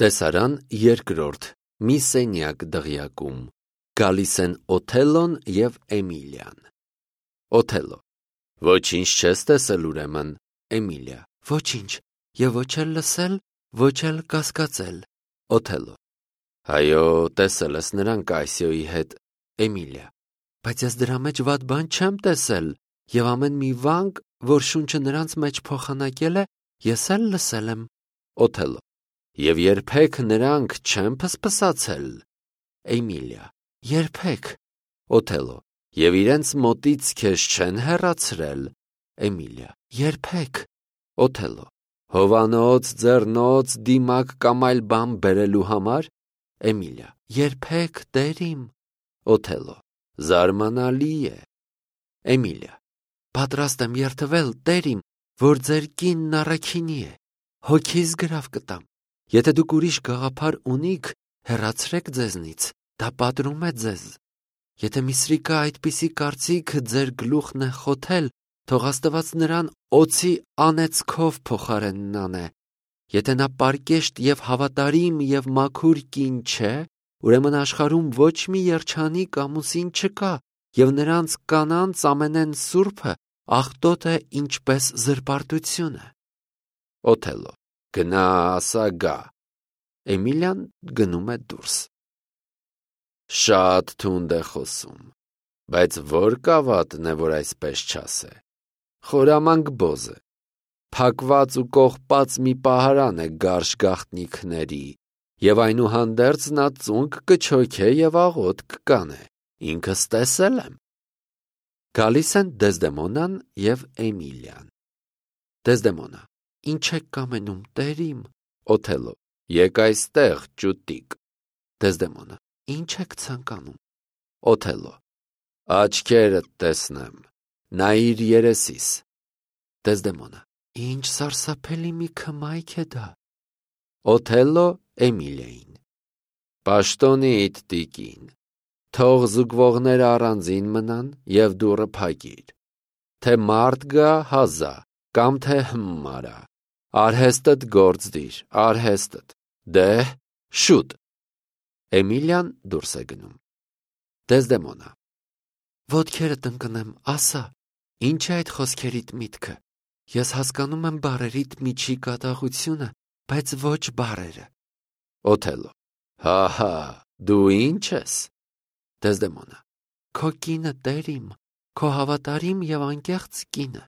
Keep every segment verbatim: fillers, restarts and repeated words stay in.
Տեսարան երկրորդ մի սենյակ դղյակում գալիս են Օթելլոն և Էմիլիան։ Օթելլո. Ոչինչ չես տեսել ուրեմն։ Էմիլիա. Ոչինչ, և ոչ էլ լսել, ոչ էլ կասկածել։ Օթելլո. Այո, տեսել ես նրան Կայսիոյի հետ։ Էմիլիա. Բայց ես դրա մեջ վատ բան չեմ տեսել, և ամեն մի վանք, որ շունչը նրանց մեջ փոխանակել է, ես էլ լսել եմ։ Օթելլո. Եվ երբեք նրանք չեն փսփսացել։ Էմիլիա. Երբեք։ Օթելլո. Եվ իրենց մոտից քեզ չեն հեռացրել։ Էմիլիա. Երբեք։ Օթելլո. Հովանոց, ձեռնոց, դիմակ կամ այլ բան բերելու համար։ Էմիլիա. Երբեք, տերիմ։ Օթելլո. Զարմանալի է։ Էմիլիա. Պատրաստ եմ երդվել, տերիմ, որ ձեր կինն առաքինի է։ Հոգիս գրավ կտամ։ Եթե դուք ուրիշ գաղափար ունիք, հեռացրեք ձեզնից, դա պատրում է ձեզ։ Եթե Միսրիկը այդպիսի կարծիք ձեր գլուխն է խոթել, թող Աստված նրան օձի անեծքով փոխարենն անե։ Եթե նա պարկեշտ և հավատարիմ և մաքուր կին չէ, ուրեմն աշխարհում ոչ մի երջանիկ ամուսին չկա, և նրանց կանանց ամենեն սուրբը աղտոտ է ինչպես զրպարտությունը։ Օթելլո. Գնա, ասա գա։ Էմիլիան գնում է դուրս։ Շատ թունդ է խոսում, բայց որ կավատն է, որ այսպես չասե։ Խորամանկ բոզ է, փակված ու կողպած մի պահարան է գարշ գաղտնիքների, և այնուհանդերձ նա ծունկ կչոքե և աղոտ կկանե, ինքս տեսել եմ։ Գալիս են Դեզդեմոնան և Էմիլիան։ Դեզդեմոնա. Ինչ եք կամենում, տերիմ։ Օթելլո. Եկ այստեղ, ճուտիկ։ Դեզդեմոնա. Ինչ եք ցանկանում։ Օթելլո. Աչքերդ տեսնեմ, նայիր երեսիս։ Դեզդեմոնա. Ինչ սարսափելի մի քմայք է դա։ Օթելլո Էմիլիային. Պաշտոնիդ, տիկին, թող զուգվողները առանձին մնան և դուռը փակիր, թե մարդ գա հազա, կամ թե հմարա, արհեստդ գործ դիր, արհեստդ, դեհ, շուտ։ Էմիլիան դուրս է գնում։ Դեզդեմոնա. Ոտքերդ ընկնեմ, ասա, ինչ է այդ խոսքերիդ միտքը։ Ես հասկանում եմ բառերիդ միջի կատաղությունը, բայց ոչ բառերը։ Օթելլո. Հա-հա, դու ինչ ես։ Դեզդեմոնա. Քո կինը, տերիմ, քո հավատարիմ և անկեղծ կինը։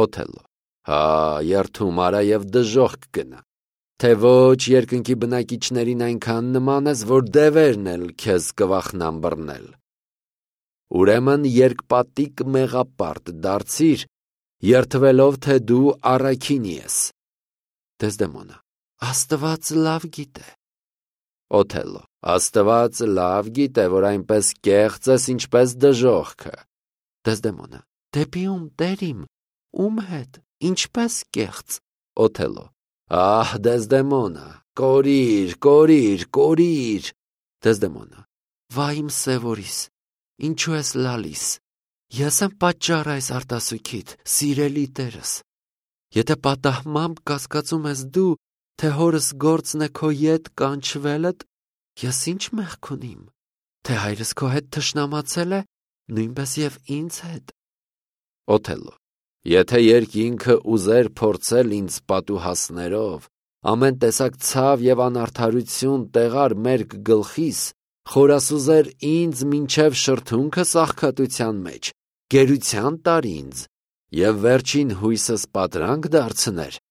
Օթելլո. Հա, երդում արա և դժոխք գնա, թե ոչ երկնքի բնակիչներին այնքան նման ես, որ դևերն էլ քեզ կվախնան բռնել։ Ուրեմն երկպատիկ մեղապարտ դարձիր, երդվելով, թե դու առաքինի ես։ Դեզդեմոնա. Աստված լավ գիտե։ Օթելլո. Աստված լավ գիտե, որ այնպես կեղծ ես, ինչպես դժոխքը։ Դեզդեմոնա. Դեպի ում, տերիմ, ում հետ, ինչպես կեղծ։ Օթելլո. Ահ, Դեզդեմոնա, կորիր, կորիր, կորիր։ Դեզդեմոնա. Վայ իմ սևորիս, ինչու ես լալիս։ Ես եմ պատճառը այս արտասուքիդ, սիրելի տերս։ Եթե պատահմամբ կասկածում ես դու, թե հորս գործն է քո ետ կանչվելդ, ես ինչ մեղք ունիմ, թե հայրս քո հետ թշնամացել է, նույնպես և ինձ հետ։ Օթելլո. Եթե երկինքը ուզեր փորձել ինձ պատուհասներով, ամեն տեսակ ցավ և անարդարություն տեղար մերկ գլխիս, խորասուզեր ինձ մինչև շրթունքս աղքատության մեջ, գերության տար ինձ, և վերջին հույսս պատրանք դարձներ,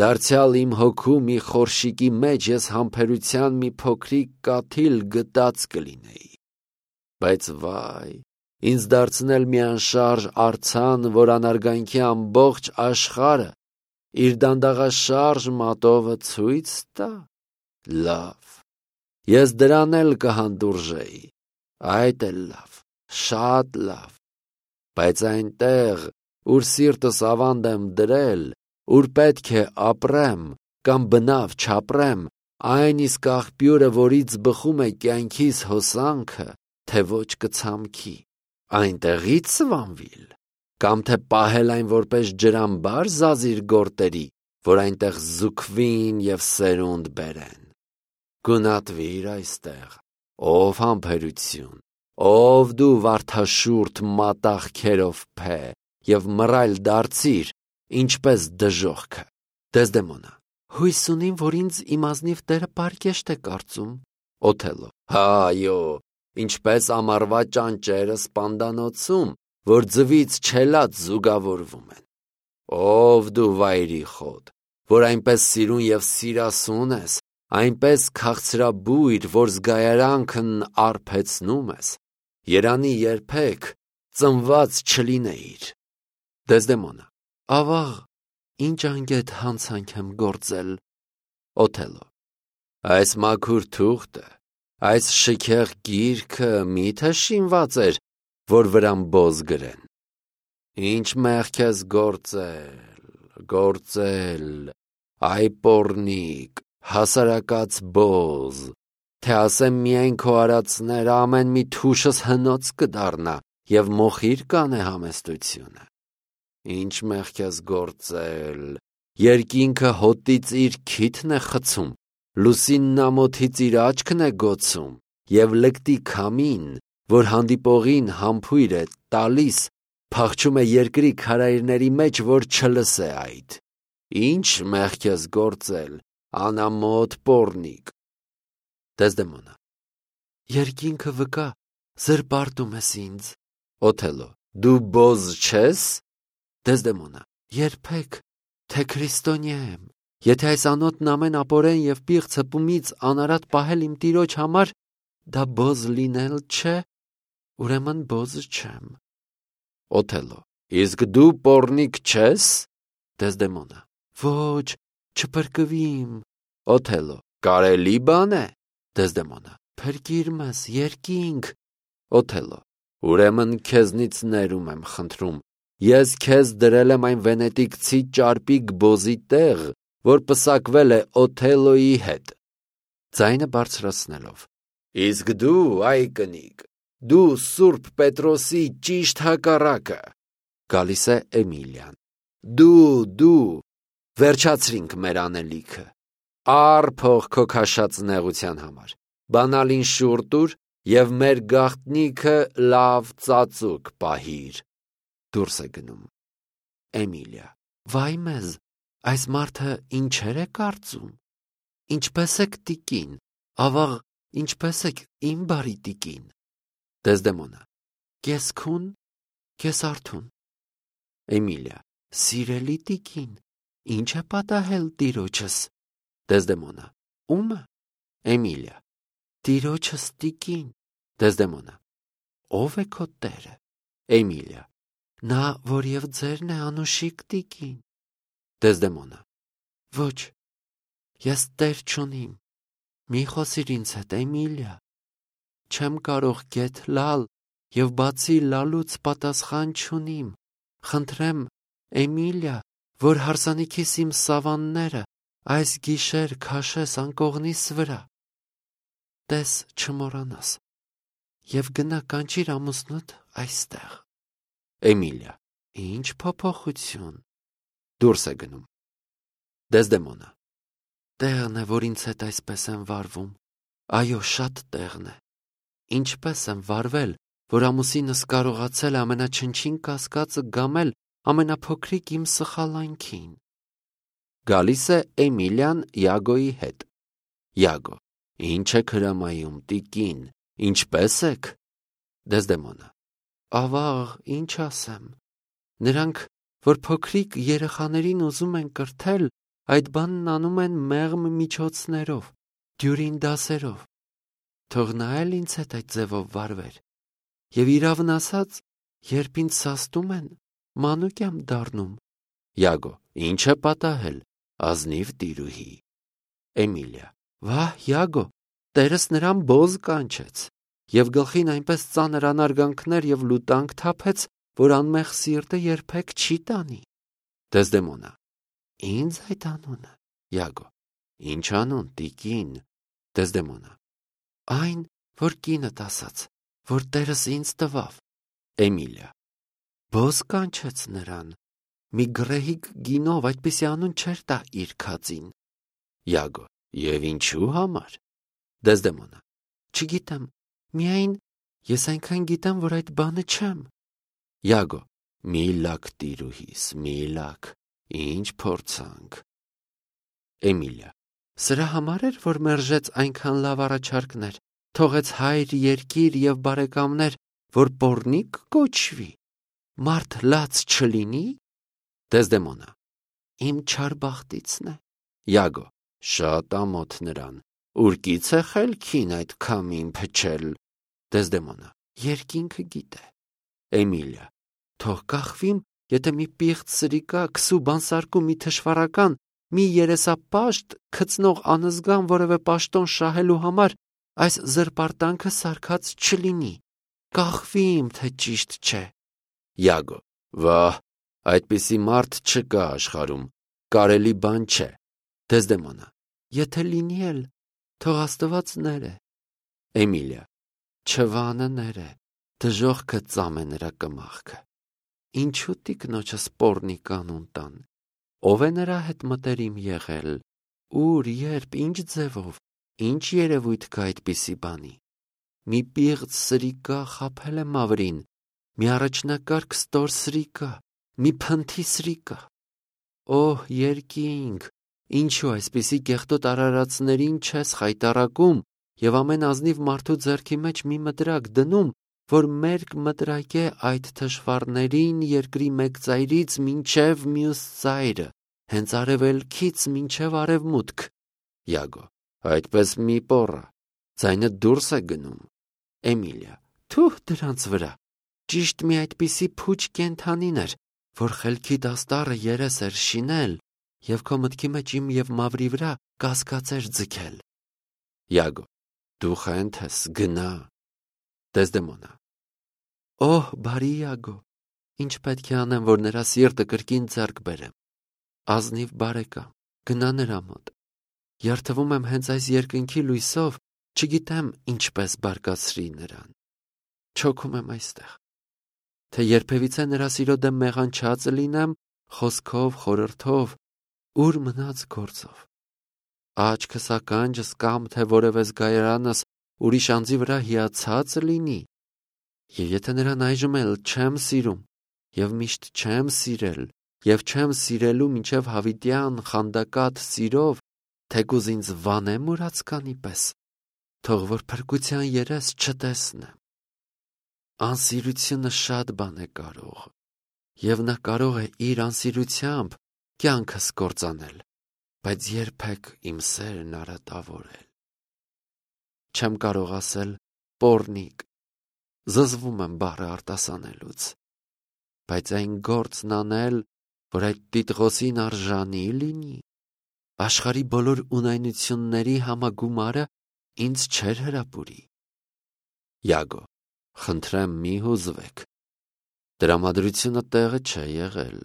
դարձյալ իմ հոգու մի խորշիկի մեջ ես համբերության մի փոքրիկ կաթիլ գտած կլինեի։ Բայց վայ, ինձ դարձնել մի անշարժ արձան, որ անարգանքի ամբողջ աշխարհը իր դանդաղաշարժ մատովը ցույց տա։ Լավ, ես դրան էլ կհանդուրժեի, այդ էլ լավ, շատ լավ, բայց այնտեղ, ուր սիրտս ավանդ եմ դրել, ուր պետք է ապրեմ, կամ բնավ չապրեմ, այն իսկ աղբյուրը, որից բխում է կյանքիս հոսանքը, թե ոչ կցամքի, այնտեղից սվանվիլ, կամ թե պահել այն որպես ջրամբար զազիր գորտերի, որ այնտեղ զուգվին և սերունդ բերեն։ Գնատվիր այստեղ, ով համբերություն, ով դու վարդաշուրթ մատաղքերով փե, և մռայլ դարձիր, ինչպես դժոխքը։ Դեզդեմոնա. հույս ունիմ, որ ինձ իմ ազնիվ տերը պարկեշտ է կարծում։ Օթելլո. հա, այո, ինչպես ամառվա ճանճերը սպանդանոցում, որ ձվից չելած զուգավորվում են։ Ով դու վայրի խոտ, որ այնպես սիրուն և սիրասուն ես, այնպես քաղցրաբույր, որ զգայարանքն արբեցնում ես, երանի երբեք ծնված չլինեիր։ Դեզդեմոնա. ավաղ, ինչ անգետ հանցանք եմ գործել։ Օթելլո. այս մաքուր թուղթը, այս շքեղ գիրքը միթե շինված էր, որ վրան բոզ գրեն։ Ինչ մեղք ես գործել, գործել, այ պոռնիկ, հասարակած բոզ, թե ասեմ միայն քո արածները ամեն մի թուշս հնոց կդառնա և մոխիր կանե համեստությունը։ Ինչ մեղք ես գործել, երկինքը հոտից իր քիթն է խցում, լուսինն ամոթից իր աչքն է գոցում, և լկտի քամին, որ հանդիպողին համբույր է տալիս, փախչում է երկրի քարայրների մեջ, որ չլսե այդ։ Ինչ մեղք ես գործել, անամոթ պոռնիկ։ Դեզդեմոնա. երկինքը վկա, զրպարտում ես ինձ։ Օթելլո. դու բոզ չես։ Դեզդեմոնա. երբեք, թե քրիստոնյա եմ, եթե այս անոթն ամեն ապօրեն և պիղծ հպումից անարատ պահել իմ տիրոջ համար, դա բոզ լինել չէ, ուրեմն բոզ չեմ։ Օթելլո. իսկ դու պոռնիկ չես։ Դեզդեմոնա. ոչ, չփրկվիմ։ Օթելլո. կարելի բան է։ Դեզդեմոնա. փրկիր մեզ, երկինք։ Օթելլո. ուրեմն քեզնից ներում եմ խնդրում, ես քեզ դրել եմ այն վենետիկցի ճարպիկ բոզի տեղ, որ պսակվել է Օթելլոյի հետ։ Ձայնը բարձրացնելով. իսկ դու, այ կնիկ, դու Սուրբ Պետրոսի ճիշտ հակառակը։ Գալիս է Էմիլիան. դու, դու, վերջացրինք մեր անելիքը, առ փող քո քաշած նեղության համար, բանալին շուռ տուր և մեր գաղտնիքը լավ ծածուկ պահիր։ Դուրս է գնում։ Էմիլիա. վայ մեզ, այս մարդը ինչեր է կարծում։ Ինչպես եք տիկին, ավաղ, ինչպես եք իմ բարի տիկին։ Դեզդեմոնա. կես քուն, կես արթուն։ Էմիլիա. սիրելի տիկին, ինչ է պատահել տիրոջս։ Դեզդեմոնա. ո՞ւմը։ Էմիլիա. տիրոջս տիկին։ Դեզդեմոնա. ո՞վ է քո տերը։ Էմիլիա. նա, որ և ձերն է, անուշիկ տիկին։ Դեզդեմոնա. ոչ, ես տեր չունիմ, մի խոսիր ինձ հետ, Էմիլիա, չեմ կարող գեթ լալ և բացի լալուց պատասխան չունիմ, խնդրեմ, Էմիլիա, որ հարսանիքիս իմ սավանները այս գիշեր քաշես անկողնիս վրա, տես չմոռանաս, և գնա կանչիր ամուսնուդ այստեղ։ Էմիլիա. ինչ փոփոխություն։ Դուրս է գնում։ Դեզդեմոնա. տեղն է, որ ինձ հետ այսպես եմ վարվում, այո, շատ տեղն է։ Ինչպես եմ վարվել, որ ամուսինս կարողացել է ամենաչնչին կասկածը գամել ամենափոքրիկ իմ սխալանքին։ Գալիս է Էմիլիան Յագոյի հետ։ Յագո. ինչ եք հրամայում, տիկին, ինչպես եք։ Դեզդեմոնա. ավաղ, ինչ ասեմ, նրանք, որ փոքրիկ երեխաներին ուզում են կրթել, այդ բանն անում են մեղմ միջոցներով, դյուրին դասերով, թող նա էլ ինձ հետ այդ ձևով վարվեր, և իրավն ասած, երբ ինձ սաստում են, մանուկ եմ դառնում։ Յագո. ինչ է պատահել, ազնիվ տիրուհի։ Էմիլիա. վահ, Յագո, տերս նրան բոզ կանչեց, և գլխին այնպես ծանր անարգանքներ և լուտանք թափեց, որ անմեղ սիրտը երբեք չի տանի։ Դեզդեմոնա. ինձ այդ անունը։ Յագո. ինչ անուն, տիկին։ Դեզդեմոնա. այն, որ կինդ ասաց, որ տերս ինձ տվավ։ Էմիլիա. բոզ կանչեց նրան, մի գռեհիկ գինով այդպիսի անուն չէր տա իր քածին։ Յագո. և ինչու համար։ Դեզդեմոնա. Չգիտեմ, միայն ես այնքան գիտեմ, որ այդ բանը չեմ։ Յագո. Մի լաք տիրուհիս, մի լաք, ինչ փորձանք։ Էմիլիա. Սրա համար էր, որ մերժեց այնքան լավ առաջարկներ, թողեց հայր, երկիր և բարեկամներ, որ պոռնիկ կոչվի, մարդ լաց չլինի։ Դեզդեմոնա. Իմ չար բախտիցն է։ Յագո. Շատ ամոթ նրան, ուրկից է խելքին այդ քամին փչել։ Դեզդեմոնա. Երկինքը գիտե։ Էմիլիա. Թող կախվիմ, եթե մի պիղծ սրիկա, քսու բանսարկու մի թշվառական, մի երեսապաշտ քծնող անզգան որևէ պաշտոն շահելու համար այս զրպարտանքը սարքած չլինի, կախվիմ, թե ճիշտ չէ։ Յագո. Վահ, այդպիսի մարդ չկա աշխարհում, կարելի բան չէ։ Դեզդեմոնա. Եթե լինի էլ, թող Աստված ները։ Էմիլիա. Չվանը ները, դժոխքը ծամե նրա կմախքը։ Ինչու տիկնոջս պոռնիկ անուն տան։ Ով է նրա հետ մտերիմ եղել, ուր, երբ, ինչ ձևով, ինչ երևույթ կա այդպիսի բանի։ Մի պիղծ սրիկա խաբել է մավրին, մի առաջնակարգ ստոր սրիկա, մի փնթի սրիկա։ Օհ, երկինք, ինչու այսպիսի կեղտոտ արարածներին չես խայտառակում և ամեն ազնիվ մարդու ձեռքի մեջ մի մտրակ դնում, որ մերկ մտրակե այդ թշվառներին երկրի մեկ ծայրից մինչև մյուս ծայրը, հենց արևելքից մինչև արևմուտք։ Յագո. Այդպես մի պոռա, ձայնը դուրս է գնում։ Էմիլիա. Թուh դրանց վրա, ճիշտ մի այդպիսի փուչ կենդանին էր, որ խելքիդ աստառը երես էր շինել և քո մտքի մեջ իմ և մավրի վրա կասկած էր ձգել։ Յագո. Դու խենթ ես, գնա։ Դեզդեմոնա. Օհ, բարի Յագո, ինչ պետք է անեմ, որ նրա սիրտը կրկին ձեռք բերեմ։ Ազնիվ բարեկամ, գնա նրա մոտ։ Երդվում եմ հենց այս երկնքի լույսով, չգիտեմ ինչպես բարկացրի նրան։ Չոքում եմ այստեղ։ Թե երբևիցե նրա սիրո դեմ մեղանչած լինեմ, խոսքով, խորհրդով, ուր մնաց գործով։ Աչքս ականջս կամ թե որևէ զգայարանս ուրիշ անձի վրա հիացած լինի։ Եվ եթե նրան այժմ էլ չեմ սիրում, և միշտ չեմ սիրել, և չեմ սիրելու մինչև հավիտյան խանդակատ սիրով, թեկուզ ինձ վանեմ մուրացկանի պես, թող որ փրկության երես չտեսնեմ։ Անսիրությունը շատ բան է կարող, և նա կարող է իր անսիրությամբ կյանքս կործանել, բայց երբեք իմ սերն արատավորել։ Չեմ կարող ասել պոռնիկ, զզվում եմ բառը արտասանելուց, բայց այն գործն անել, որ այդ տիտղոսին արժանի լինի, աշխարհի բոլոր ունայնությունների համագումարը ինձ չէր հրապուրի։ Յագո. Խնդրեմ մի հուզվեք։ Տրամադրությունը տեղը չէ եղել,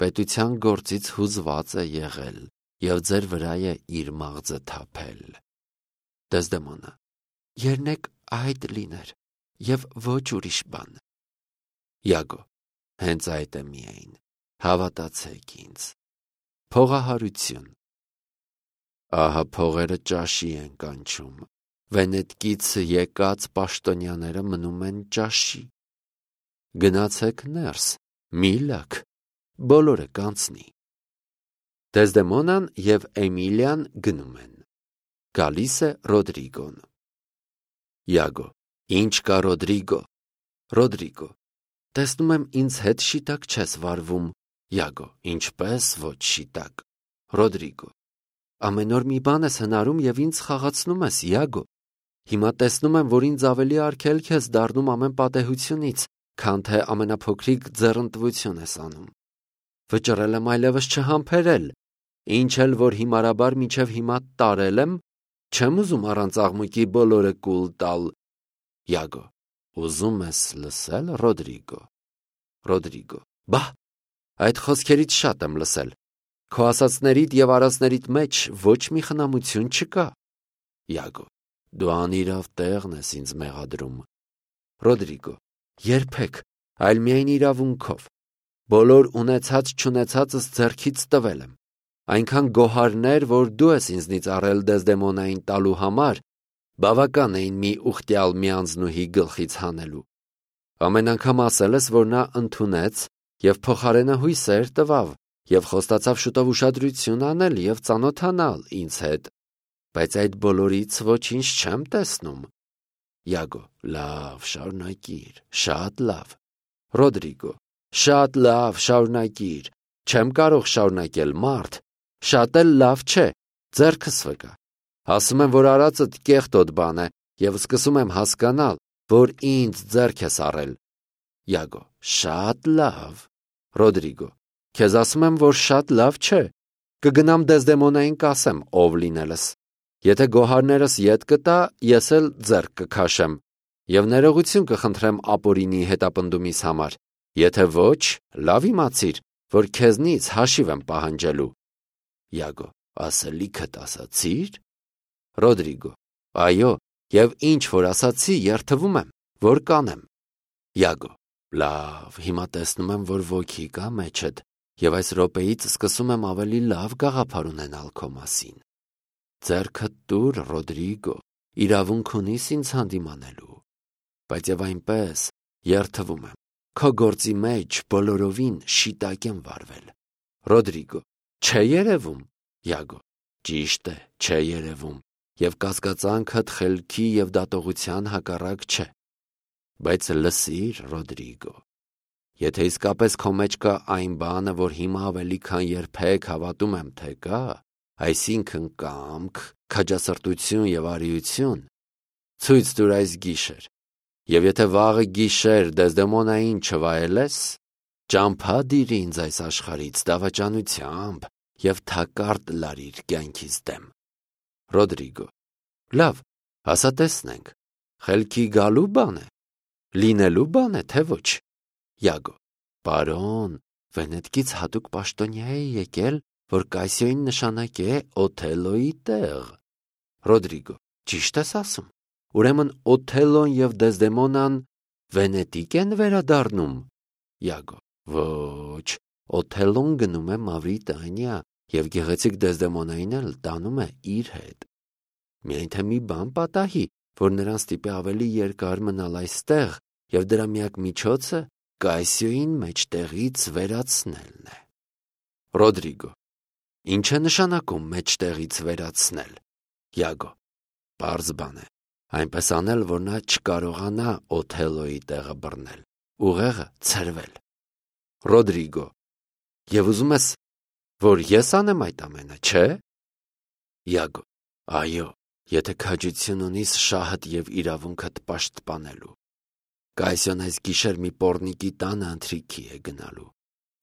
պետության գործից հուզված է եղել և ձեր վրա է իր մաղձը թափել։ Դեզդեմոնա. Երնեք այդ լիներ և ոչ ուրիշ բան։ Յագո. Հենց այդ է միայն, հավատացեք ինձ։ Փողահարություն։ Ահա փողերը ճաշի են կանչում, Վենետկից եկած պաշտոնյաները մնում են ճաշի։ Գնացեք ներս, մի լաք, բոլորը կանցնի։ Դեզդեմոնան և Էմիլիան գնում են։ Գալիս է Ռոդրիգոն։ Յագո. Ինչ կա Ռոդրիգո։ Ռոդրիգո. Տեսնում եմ ինձ հետ շիտակ չես վարվում։ Յագո. Ինչպես ոչ շիտակ։ Ռոդրիգո. Ամեն օր մի բան ես հնարում և ինձ խաղացնում ես, Յագո։ Հիմա տեսնում եմ, որ ինձ ավելի արգելք ես դառնում ամեն պատեհությունից, քան թե ամենափոքրիկ ձեռնտվություն ես անում։ Վճռել եմ այլևս չհամբերել, ինչ էլ որ հիմարաբար մինչև հիմա տարել եմ, չեմ ուզում առանց աղմուկի բոլորը կուլ տալ։ Յագո. Ուզում ես լսել, Ռոդրիգո։ Ռոդրիգո. Բա, այդ խոսքերից շատ եմ լսել։ Քո ասածներիդ և արածներիդ մեջ ոչ մի խնամություն չկա։ Յագո. Դու անիրավ տեղն ես ինձ մեղադրում։ Ռոդրիգո. Երբեք, այլ միայն իրավունքով։ Բոլոր ունեցած չունեցածս ձեռքից տվել եմ։ Այնքան գոհարներ, որ դու ես ինձնից առել Դեզդեմոնային տալու համար, բավական էին մի ուխտյալ միանձնուհի գլխից հանելու։ Ամեն անգամ ասել ես, որ նա ընդունեց և փոխարենը հույսեր տվավ և խոստացավ շուտով ուշադրություն անել և ծանոթանալ ինձ հետ, բայց այդ բոլորից ոչինչ չեմ տեսնում։ Յագո. լավ, շարունակիր, շատ լավ։ Ռոդրիգո. շատ լավ, շարունակիր, չեմ կարող շարունակել, մարդ, շատ էլ լավ չէ, ձեռքս վկա։ Ասում եմ, որ արածդ կեղտոտ բան է և սկսում եմ հասկանալ, որ ինձ ձեռք ես առել։ Յագո. շատ լավ։ Ռոդրիգո. քեզ ասում եմ, որ շատ լավ չէ։ Կգնամ Դեզդեմոնային կասեմ, ով լինելս։ Եթե գոհարներս ետ կտա, ես էլ ձեռք կքաշեմ և ներողություն կխնդրեմ Ապորինի հետապնդումիս համար։ Եթե ոչ, լավ իմացիր, որ քեզնից հաշիվ եմ պահանջելու։ Յագո. ասելիքդ ասացի՞ր։ Ռոդրիգո. այո, և ինչ որ ասացի, երդվում եմ, որ կանեմ։ Յագո. լավ, հիմա տեսնում եմ, որ ոգի կա մեջդ և այս րոպեից սկսում եմ ավելի լավ գաղափար ունենալ քո մասին։ Ձեռքդ տուր, Ռոդրիգո, իրավունք ունիս ինձ հանդիմանելու։ Բայց և այնպես, երդվում եմ, քո գործի մեջ բոլորովին շիտակ եմ վարվել։ Ռոդրիգո. չէ երևում։ Յագո. ճիշտ է, չէ երևում, և կասկածանքդ խելքի և դատողության հակառակ չէ։ Բայց լսիր, Ռոդրիգո, եթե իսկապես քո մեջ կա այն բանը, որ հիմա ավելի քան երբեք հավատում եմ, թե կա, այսինքն կամք, քաջասրտություն և արիություն, ցույց տուր այս գիշեր, և եթե վաղը գիշեր Դեզդեմոնային չվայելես, ճամփա դիր ինձ այս աշխարհից դավաճանությամբ և թակարդ լարիր կյանքիս դեմ։ Ռոդրիգո. լավ, ասա տեսնենք, խելքի գալու բան է, լինելու բան է, թե ոչ։ Յագո. պարոն, Վենետիկից հատուկ պաշտոնյա է եկել, որ Կասիոյին նշանակե Օթելլոյի տեղ։ Ռոդրիգո. ճիշտ ես ասում, ուրեմն Օթելլոն և Դեզդեմոնան Վենետիկ են վերադառնում։ Յագո. ոչ, Օթելլոն գնում է Մավրիտանիա և գեղեցիկ Դեզդեմոնային էլ տանում է իր հետ։ Միայն թե մի բան պատահի, որ նրան ստիպի ավելի երկար մնալ այստեղ, և դրա միակ միջոցը Կասիոյին մեջտեղից վերացնելն է։ Ռոդրիգո. ինչ է նշանակում մեջտեղից վերացնել։ Յագո. պարզ բան է, այնպես անել, որ նա չկարողանա Օթելլոյի տեղը բռնել, ուղեղը ցրվել։ Ռոդրիգո. և ուզում ես, որ ես անեմ այդ ամենը, չէ՞։ Յագո. այո, եթե քաջություն ունիս շահդ և իրավունքդ պաշտպանելու։ Կասիոն այս գիշեր մի պոռնիկի տանը ընթրիքի է գնալու։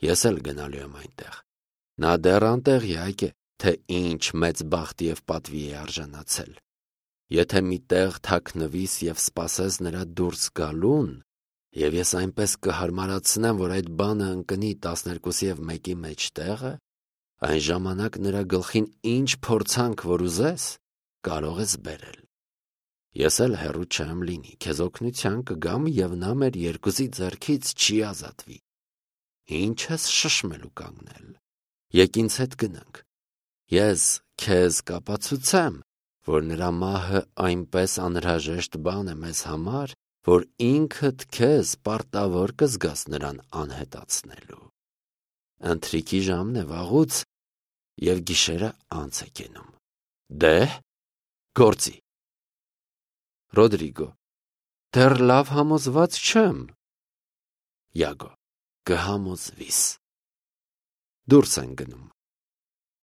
Ես էլ գնալու եմ այնտեղ։ Նա դեռ անտեղյակ է, թե ինչ մեծ բախտի և պատվի է արժանացել։ Եթե մի տեղ թաքնվիս և սպասես նրա դուրս գալուն, և ես այնպես կհարմարացնեմ, որ այդ բանը ընկնի տասներկուսի և մեկի մեջտեղը, այն ժամանակ նրա գլխին ինչ փորձանք որ ուզես, կարող ես բերել։ Ես էլ հեռու չեմ լինի, քեզ օգնության կգամ և նա մեր երկուսի ձեռքից չի ազատվի։ Ինչ ես շշմելու կանգնել, եկ ինձ հետ գնանք։ Ես քեզ կապացուցեմ, որ նրա մահը այնպես անհրաժեշտ բան է մեզ համար, որ ինքդ քեզ պարտավոր կզգաս նրան անհետացնելու։ Ընթրիքի ժամն է վաղուց, և գիշերը անց է կենում։ Դե՞հ, գործի։ Ռոդրիգո. դեռ լավ համոզված չեմ։ Յագո. կհամոզվիս։ Դուրս են գնում։